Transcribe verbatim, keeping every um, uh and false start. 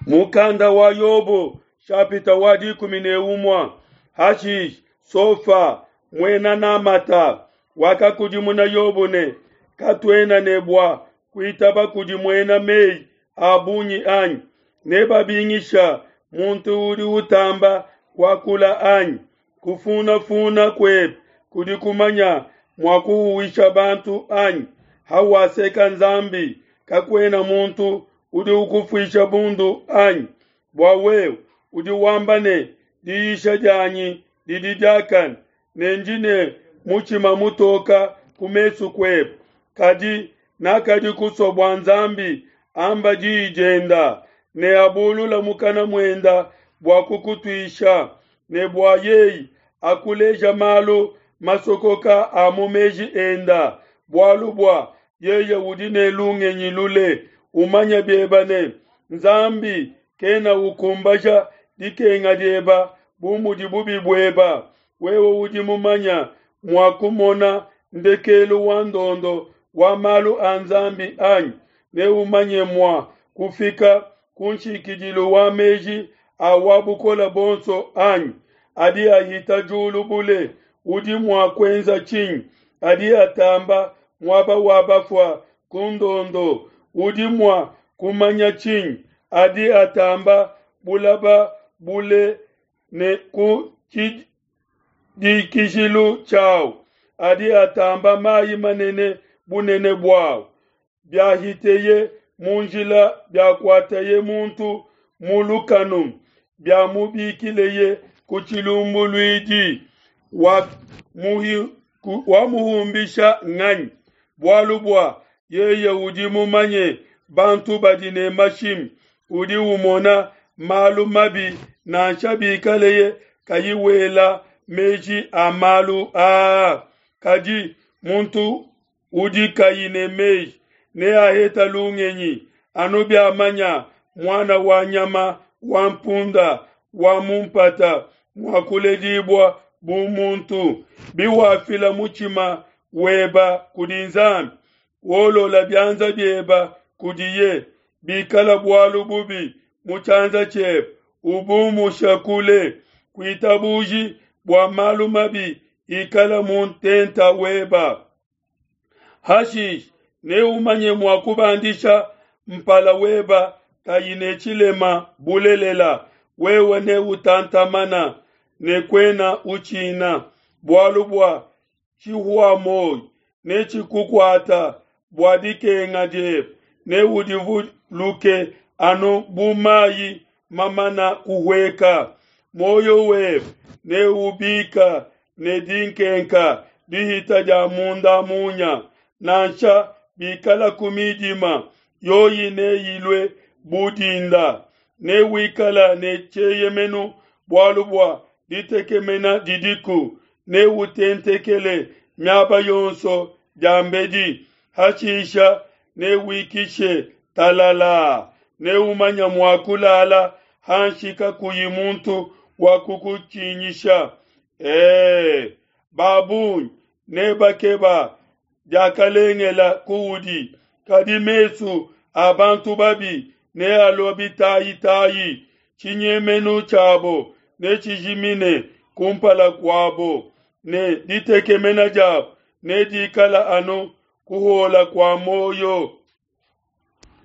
Mukanda wa Yobo shapita wa dikumi ne umue Hashish Sofa muena Namata wakakudimuna Yobo ne katuena ne bua kuitaba kudi muena meyi a bungi anyi nebabingisha muntu udi utamba kuakula anyi kufunafuna kuebe kudi kumanya mua kuhuwisha bantu anyi hawaseka Nzambi kakuena muntu udi ukufuisha bundu anyi bua wewe udi wamba ne diyisha dianyi didi diakane ne ndi ne mutshima mutoka ku mesu kuebe kadi nakadi kusua bua Nzambi amba diyi dienda ne abulula mukana muenda bua kukutuisha ne bua yeye akuleja malu masokoka a mu meji enda bualu bua yeye udi ne lungenyi lule umanya bieba ne Nzambi kena ukumbaja dikenga dieba bu mudi bubi bueba wewe udi mumanya mua kumona ndekelu wa ndondo wa malu a Nzambi anyi ne umanye mua kufika ku nshikidilu wa meji a wa bukole bonso anyi adi ahita diulu bule udi mua kuenza tshinyi adi atamba muaba wa bafua ku ndondo udi mua kumanya tshinyi adi atamba bulaba bule ne ku tshidikijilu tshiawu adi atamba mayi manene bunene buawu biahiteye mu njila biakuataye muntu mu lukanu biamubikileye ku tshilumbuluidi wa muhi wamuhumbisha nganyi bualu bua yeye udi mumanye bantu badi ne mashimi udi umona malu mabi nansha bikaleye kayi wela meji a malu aa kadi muntu udi kayi ne meji neaheta lungenyi anu biamanya muana wa nyama wa mpunda wa mu mpata mua kuledibua bu muntu biwafila mutshima weba kudi Nzambi wolola bianza bieba kudiye bikala bualu bubi mu tshianza tshiebe ubumusha kule kuitabuji bua malu mabi ikala mu ntenta weba hashish neumanye mua kubandisha mpala weba kayi ne tshilema bulelela wewe ne utantamana ne kuena utshina bualu bua tshihua moyo netshikukuata bua dikenga diebe neudivuluke anu bu mayi mamana kuhueka muoyo webe neubika ne dinkenka dihita dia munda munya nansha bikala ku midima yoyi neyilue bu dinda newikala ne tshieyemenu bualu bua ditekemena didiku neutentekele miaba yonso diambedi hashisha newikishe talala neumanya mua kulala hanshi kakuyi muntu wa kukutshinyisha ee babungi nebakeba diakalengela kuudi kadi mesu a bantu babi nealua bitayitayi tshinyemenu tshiabo netshijimine kumpala kuabo ne ditekemena diabo nedikala anu kuhola kua muoyo.